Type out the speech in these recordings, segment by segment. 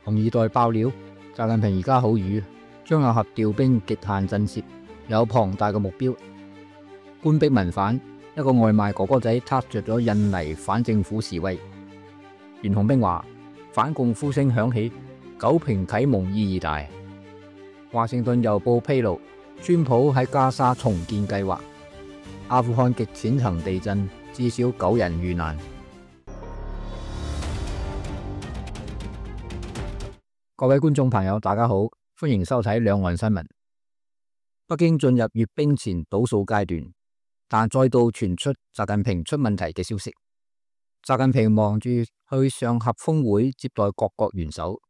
紅二代爆料，習近平而家好瘀，張又俠調兵極限震懾，有龐大嘅目標。官逼民反，一個外賣哥哥仔撻着咗印尼反政府示威。袁洪兵話反共呼聲響起，九平啟蒙意義大。華盛頓郵報披露，川普喺加沙重建計劃。阿富汗極淺層地震，至少9人遇難。各位觀眾朋友，大家好，歡迎收睇兩岸新聞。北京進入閱兵前倒數階段，但再度傳出習近平出問題嘅消息。習近平忙住去上合峰會接待各國元首，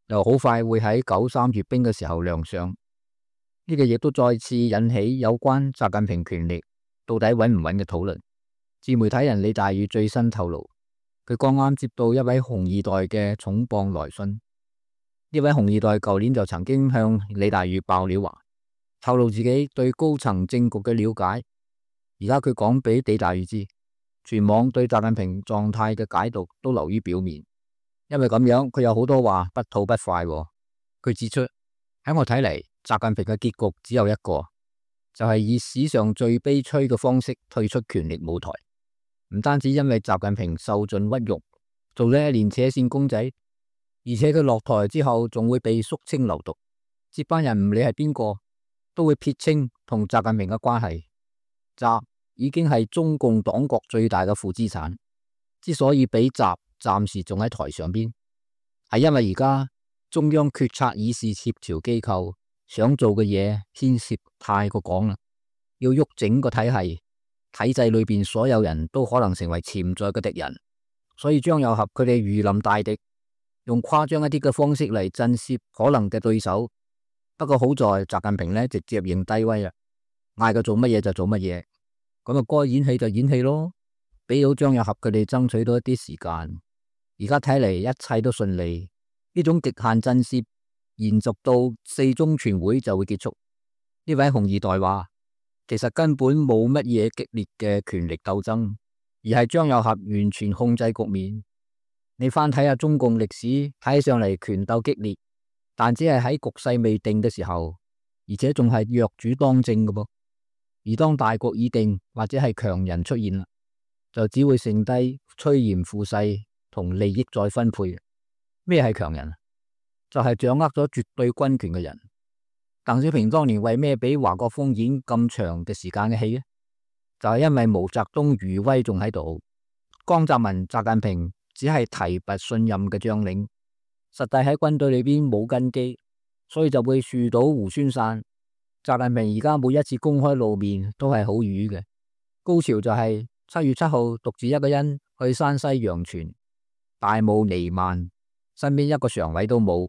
又好快會喺9·3閱兵嘅時候亮相。呢個亦都再次引起有關習近平權力到底穩唔穩嘅討論。自媒體人李大宇最新透露，佢剛啱接到一位紅二代嘅重磅來信。呢位紅二代舊年就曾經向李大宇爆料話，透露自己對高層政局嘅了解。而家佢講俾李大宇知，全網對習近平狀態嘅解讀都流於表面，因為咁樣佢有好多話不吐不快。佢指出，喺我睇嚟，習近平嘅結局只有一個，就係以史上最悲催嘅方式退出權力舞台。唔單止因為習近平受盡屈辱，做咗一年扯線公仔，而且佢落台之後仲會被肅清流毒，接班人唔理係邊個，都會撇清同習近平嘅關係。習已經係中共黨國最大嘅負資產，之所以俾習暫時仲喺台上邊，係因為而家中央決策議事協調機構想做嘅嘢牽涉太過廣啦，要喐整個體系，體制裏邊所有人都可能成為潛在嘅敵人，所以張又俠佢哋如臨大敵，用誇張一啲嘅方式嚟震懾可能嘅對手。不過好在習近平呢直接認低威啦，嗌佢做乜嘢就做乜嘢，咁啊該演戲就演戲咯，俾到張又俠佢哋爭取到一啲時間。而家睇嚟一切都順利，呢種極限震懾延續到4中全會就會結束。呢位紅二代話，其實根本冇乜嘢激烈嘅權力鬥爭，而係張又俠完全控制局面。你翻睇下中共歷史，睇上嚟權鬥激烈，但只係喺局勢未定嘅時候，而且仲係弱主當政嘅噃。而當大局已定，或者係強人出現啦，就只會剩低趨炎附勢同利益再分配。咩係強人？就係掌握咗絕對軍權嘅人。鄧小平當年為咩俾華國鋒演咁長嘅時間嘅戲呢？就係因為毛澤東餘威仲喺度，江澤民、習近平只係提拔信任嘅將領，實際喺軍隊裏邊冇根基，所以就會樹倒猢猻散。習近平而家每一次公開露面都係好瘀嘅。高潮就係7月7號獨自一個人去山西陽泉，大霧彌漫，身邊一個常委都冇。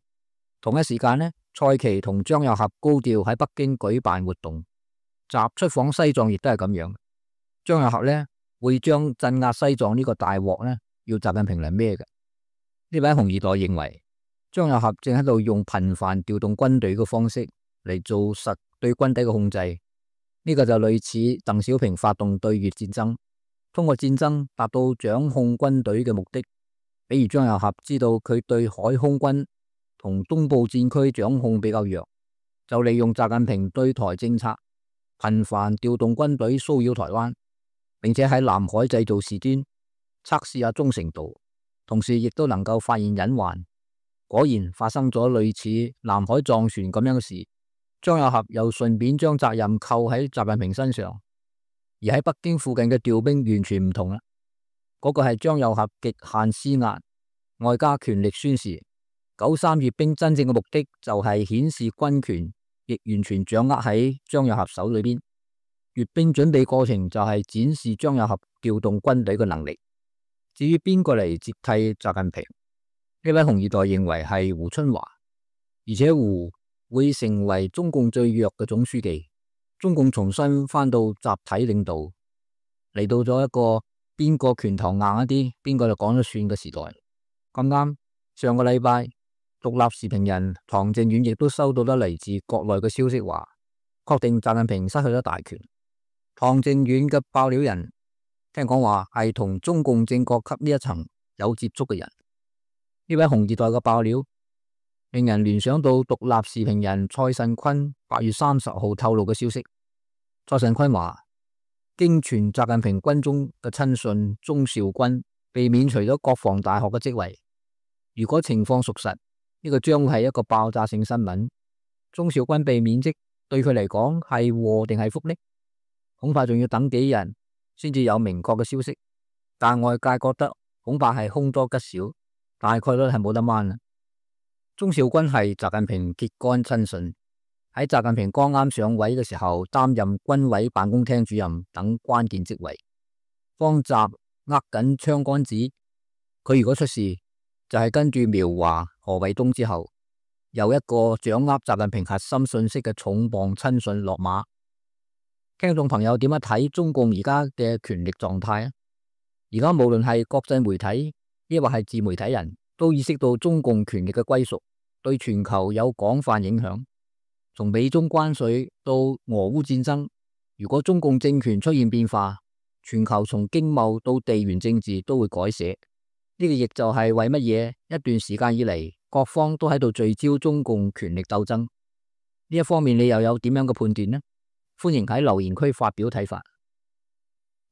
同一時間呢，蔡奇同張又俠高調喺北京舉辦活動，習出訪西藏亦都係咁樣。張又俠呢會將鎮壓西藏呢個大鑊呢要習近平嚟孭嘅。呢位紅二代認為，張又俠正喺度用頻繁調動軍隊嘅方式嚟做實對軍隊嘅控制。呢個就類似鄧小平發動對越戰爭，通過戰爭達到掌控軍隊嘅目的。比如張又俠知道佢對海空軍同東部戰區掌控比較弱，就利用習近平對台政策，頻繁調動軍隊騷擾台灣，並且喺南海製造事端，測試下忠誠度，同時亦都能夠發現隱患。果然發生咗類似南海撞船咁樣嘅事，張又俠又順便將責任扣喺習近平身上。而喺北京附近嘅調兵完全唔同啦，嗰個係張又俠極限施壓，外加權力宣示。9·3閱兵真正嘅目的就係顯示軍權亦完全掌握喺張又俠手裏邊。閱兵準備過程就係展示張又俠調動軍隊嘅能力。至於邊個嚟接替習近平，呢位紅二代認為係胡春華，而且胡會成為中共最弱嘅總書記。中共重新翻到集體領導，嚟到咗一個邊個拳頭硬一啲，邊個就講咗算嘅時代。咁啱上個禮拜，獨立時評人唐靖遠亦都收到咗嚟自國內嘅消息，話確定習近平失去咗大權。唐靖遠嘅爆料人聽講話係同中共正國級呢一層有接觸嘅人。呢位紅二代嘅爆料令人聯想到獨立時評人蔡慎坤8月30號透露嘅消息。蔡慎坤話，經傳習近平軍中嘅親信鍾肇軍被免除咗國防大學嘅職位。如果情況屬實，呢個將會係一個爆炸性新聞。鍾肇軍被免職對佢嚟講係禍定係福呢？恐怕仲要等幾日先至有明確嘅消息。但外界覺得恐怕係凶多吉少，大概率係冇得掹啦。鍾肇軍係習近平鐵桿親信，喺習近平剛啱上位嘅時候擔任軍委辦公廳主任等關鍵職位，幫習握緊槍桿子。佢如果出事，就係跟住苗華、何衛東之後，又一個掌握習近平核心信息嘅重磅親信落馬。聽眾朋友點樣睇中共而家嘅權力狀態啊？而家無論係國際媒體，抑或係自媒體人都意識到中共權力嘅歸屬對全球有廣泛影響。從美中關稅到俄烏戰爭，如果中共政權出現變化，全球從經貿到地緣政治都會改寫。呢個亦就係為乜嘢一段時間以嚟，各方都喺度聚焦中共權力鬥爭。呢一方面你又有點樣嘅判斷呢？歡迎喺留言區發表睇法。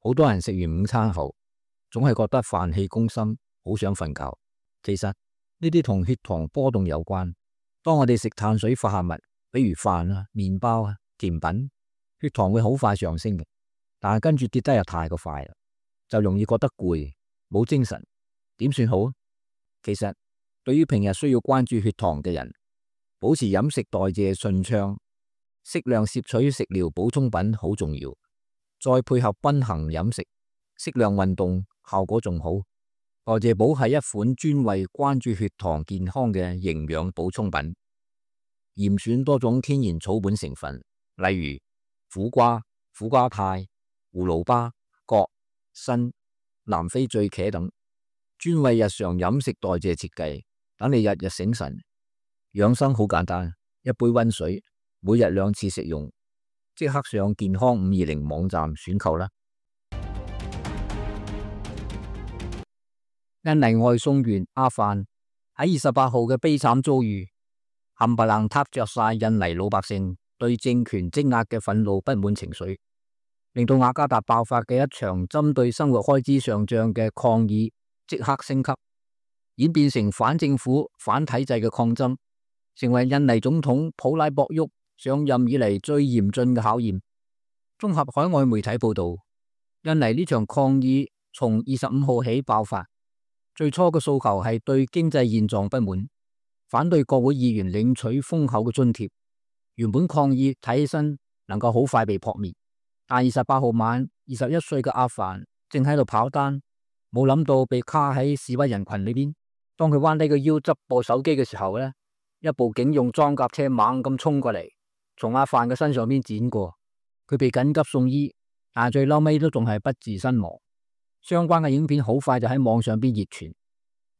好多人食完午餐後，總係覺得飯氣攻心，好想瞓覺。其實呢啲同血糖波動有關。當我哋食碳水化合物，比如飯啊、麵包啊、甜品，血糖會好快上升嘅，但係跟住跌得又太過快啦，就容易覺得攰，冇精神。點算好？其實對於平日需要關注血糖嘅人，保持飲食代謝順暢，適量攝取食療補充品好重要，再配合均衡飲食、適量運動，效果仲好。代謝寶係一款專為關注血糖健康嘅營養補充品，嚴選多種天然草本成分，例如苦瓜、苦瓜肽、葫蘆巴、葛、參、南非醉茄等，專為日常飲食代謝設計，等你日日醒神。養生好簡單，一杯溫水，每日2次食用，即刻上健康520網站選購啦。印尼外送員阿范喺28號嘅悲慘遭遇，冚唪唥撻着晒印尼老百姓對政權積壓嘅憤怒不滿情緒，令到雅加達爆發嘅一場針對生活開支上漲嘅抗議即刻升級，演變成反政府、反體制嘅抗爭，成為印尼總統普拉博沃上任以嚟最嚴峻嘅考驗。綜合海外媒體報道，印尼呢場抗議從25號起爆發。最初嘅訴求係對經濟現狀不滿，反對國會議員領取豐厚嘅津貼。原本抗議睇起身能夠好快被撲滅，但28號晚21歲嘅阿凡正喺度跑單，冇諗到被卡喺示威人群裏邊。當佢彎低個腰執部手機嘅時候呢，一部警用裝甲車猛咁衝過嚟，從阿凡嘅身上邊剪過，佢被緊急送醫，但係最嬲尾都仲係不治身亡。相關嘅影片好快就喺網上邊熱傳。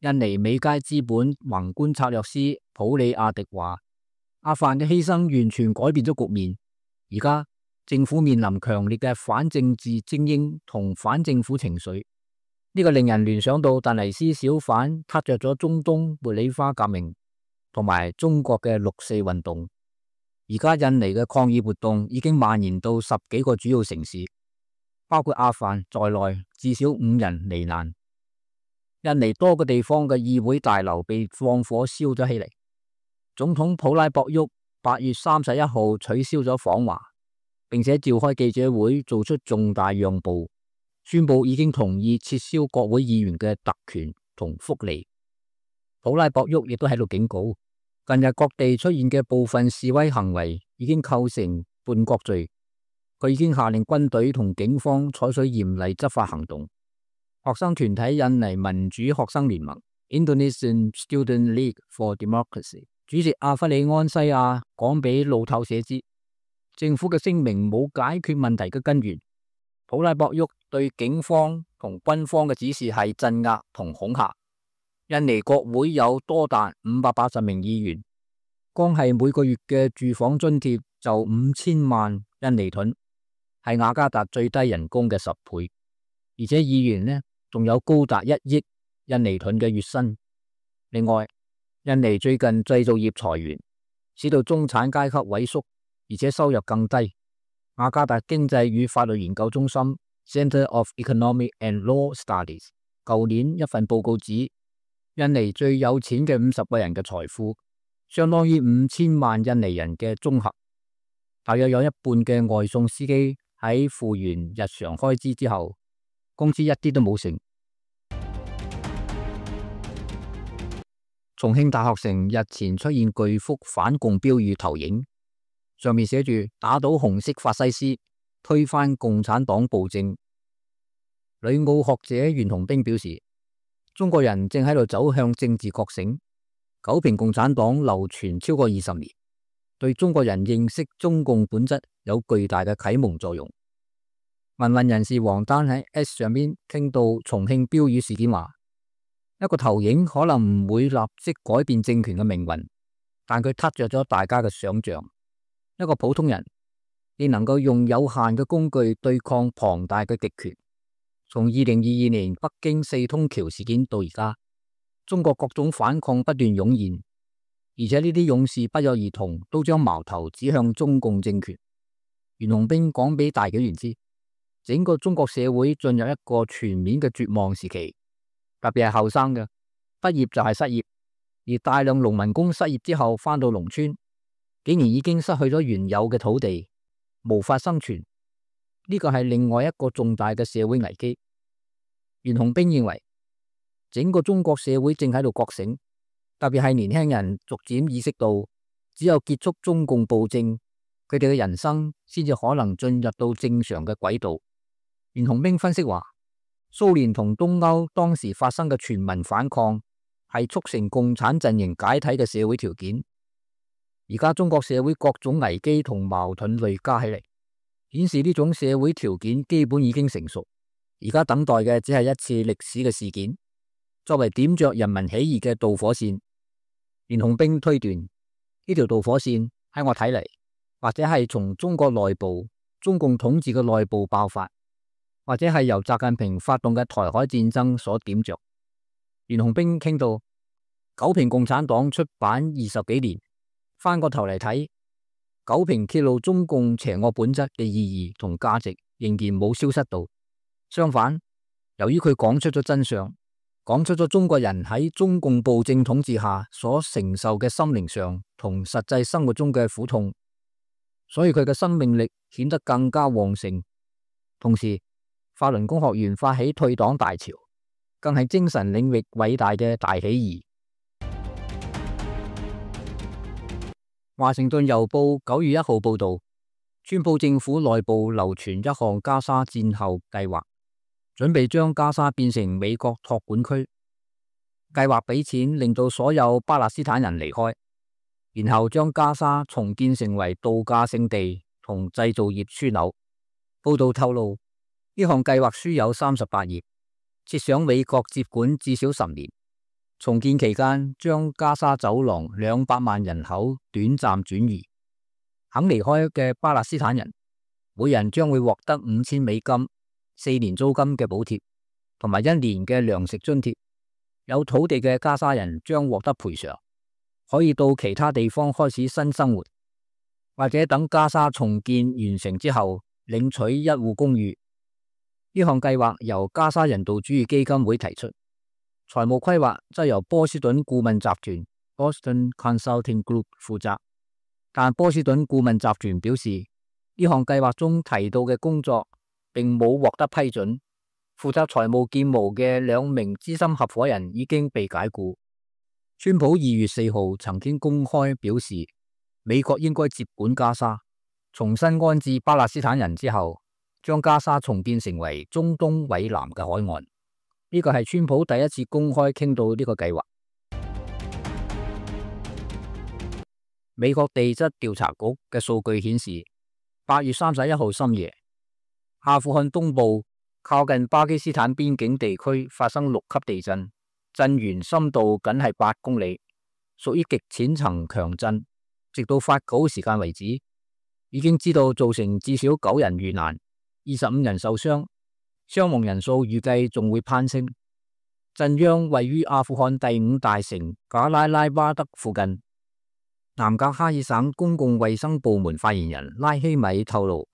印尼美佳資本宏觀策略師普里亞迪話，阿凡嘅犧牲完全改變咗局面。而家政府面臨強烈嘅反政治精英同反政府情緒，呢個令人聯想到突尼斯小販撻着咗中東茉莉花革命同埋中國嘅6·4運動。而家印尼嘅抗議活動已經蔓延到10幾個主要城市，包括阿凡在內，至少5人罹難。印尼多個地方嘅議會大樓被放火燒咗起嚟。總統普拉博沃8月31號取消咗訪華，並且召開記者會，做出重大讓步，宣布已經同意撤銷國會議員嘅特權同福利。普拉博沃亦都喺度警告，近日各地出現嘅部分示威行為已經構成叛國罪。佢已經下令軍隊同警方採取嚴厲執法行動。學生團體印尼民主學生聯盟 Indonesian Student League for Democracy 主席阿弗里安西亞講俾路透社知，政府嘅聲明冇解決問題嘅根源。普拉博沃對警方同軍方嘅指示係鎮壓同恐嚇。印尼國會有多達580名議員，光係每個月嘅住房津貼就5000萬印尼盾，係雅加達最低人工嘅10倍，而且議員呢仲有高達1億印尼盾嘅月薪。另外，印尼最近製造業裁員，使到中產階級萎縮，而且收入更低。雅加達經濟與法律研究中心 Center of Economic and Law Studies 舊年一份報告指，印尼最有錢嘅50個人嘅財富，相當於5000萬印尼人嘅綜合。大約有一半嘅外送司機喺付完日常開支之後，工資一啲都冇剩。重慶大學城日前出現巨幅反共標語投影，上面寫住打倒紅色法西斯，推翻共產黨暴政。旅澳學者袁洪兵表示，中國人正喺度走向政治覺醒，九評共產黨流傳超過20年，對中國人認識中共本質有巨大嘅啟蒙作用。民運人士王丹喺 S 上邊傾到重慶標語事件話，一個投影可能唔會立即改變政權嘅命運，但佢撻着咗大家嘅想象。一個普通人，你能夠用有限嘅工具對抗龐大嘅極權。從2022年北京4通橋事件到而家，中國各種反抗不斷湧現，而且呢啲勇士不約而同都將矛頭指向中共政權。袁洪兵講俾大紀元知，整個中國社會進入一個全面嘅絕望時期。特別係後生嘅，畢業就係失業，而大量農民工失業之後返到農村，竟然已經失去咗原有嘅土地，無法生存。呢個係另外一個重大嘅社會危機。袁洪兵認為，整個中國社會正喺度覺醒，特別係年輕人逐漸意識到，只有結束中共暴政，佢哋嘅人生先至可能進入到正常嘅軌道。袁洪兵分析話，蘇聯同東歐當時發生嘅全民反抗，係促成共產陣營解體嘅社會條件。而家中國社會各種危機同矛盾累加起嚟，顯示呢種社會條件基本已經成熟。而家等待嘅只係一次歷史嘅事件，作為點着人民起義嘅導火線。袁洪兵推斷，呢條導火線喺我睇嚟，或者係從中國內部、中共統治嘅內部爆發，或者係由習近平發動嘅台海戰爭所點着。袁洪兵傾到，九評共產黨出版20幾年，翻個頭嚟睇，九評揭露中共邪惡本質嘅意義同價值仍然冇消失到。相反，由於佢講出咗真相，講出咗中國人喺中共暴政統治下所承受嘅心靈上同實際生活中嘅苦痛，所以佢嘅生命力顯得更加旺盛。同時，法輪功學員發起退黨大潮，更係精神領域偉大嘅大起義。華盛頓郵報9月1號報道，川普政府內部流傳一項加沙戰後計劃，準備將加沙變成美國託管區，計劃俾錢令到所有巴勒斯坦人離開，然後將加沙重建成為度假勝地同製造業樞紐。報道透露，呢項計劃書有38頁，設想美國接管至少10年。重建期間，將加沙走廊200萬人口短暫轉移，肯離開嘅巴勒斯坦人，每人將會獲得$5000、4年租金嘅補貼，同埋1年嘅糧食津貼。有土地嘅加沙人將獲得賠償，可以到其他地方開始新生活，或者等加沙重建完成之後，領取一戶公寓。呢項計劃由加沙人道主義基金會提出，財務規劃則由波士頓顧問集團 Boston Consulting Group 負責。但波士頓顧問集團表示，呢項計劃中提到嘅工作並冇獲得批准。負責財務建模嘅2名資深合夥人已經被解僱。川普2月4號曾經公開表示，美國應該接管加沙，重新安置巴勒斯坦人之後，將加沙重建成為中東以南嘅海岸。呢個係川普第一次公開傾到呢個計劃。美國地質調查局嘅數據顯示，8月31號深夜，阿富汗東部靠近巴基斯坦邊境地區發生6級地震，震源深度僅係8公里，屬於極淺層強震。直到發稿時間為止，已經知道造成至少9人遇難，25人受傷，傷亡人數預計仲會攀升。震央位於阿富汗第5大城賈拉拉巴德附近。南格哈爾省公共衛生部門發言人拉希米透露，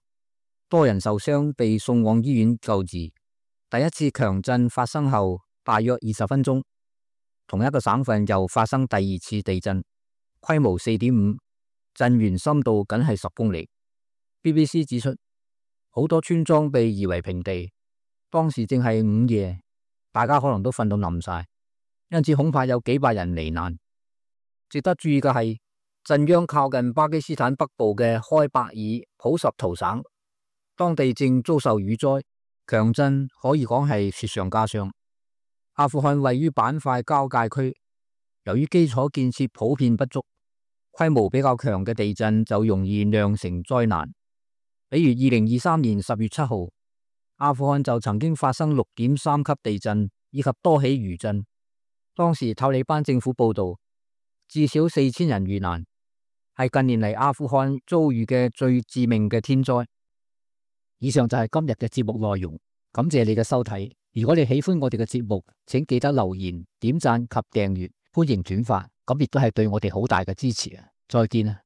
多人受傷被送往醫院救治。第一次強震發生後大約20分鐘，同一個省份又發生第2次地震，規模4.5，震源深度僅係10公里。BBC 指出，好多村莊被夷為平地，當時正係午夜，大家可能都瞓到冧晒，因此恐怕有幾百人罹難。值得注意嘅係，震央靠近巴基斯坦北部嘅開伯爾普什圖省，當地正遭受雨災，強震可以講係雪上加霜。阿富汗位於板塊交界區，由於基礎建設普遍不足，規模比較強嘅地震就容易釀成災難。比如2023年10月7號，阿富汗就曾經發生6.3級地震以及多起餘震，當時塔利班政府報道至少4000人遇難，係近年嚟阿富汗遭遇嘅最致命嘅天災。以上就係今日嘅節目內容，感謝你嘅收睇。如果你喜歡我哋嘅節目，請記得留言、點讚及訂閱，歡迎轉發，咁亦都係對我哋好大嘅支持啊！再見啊！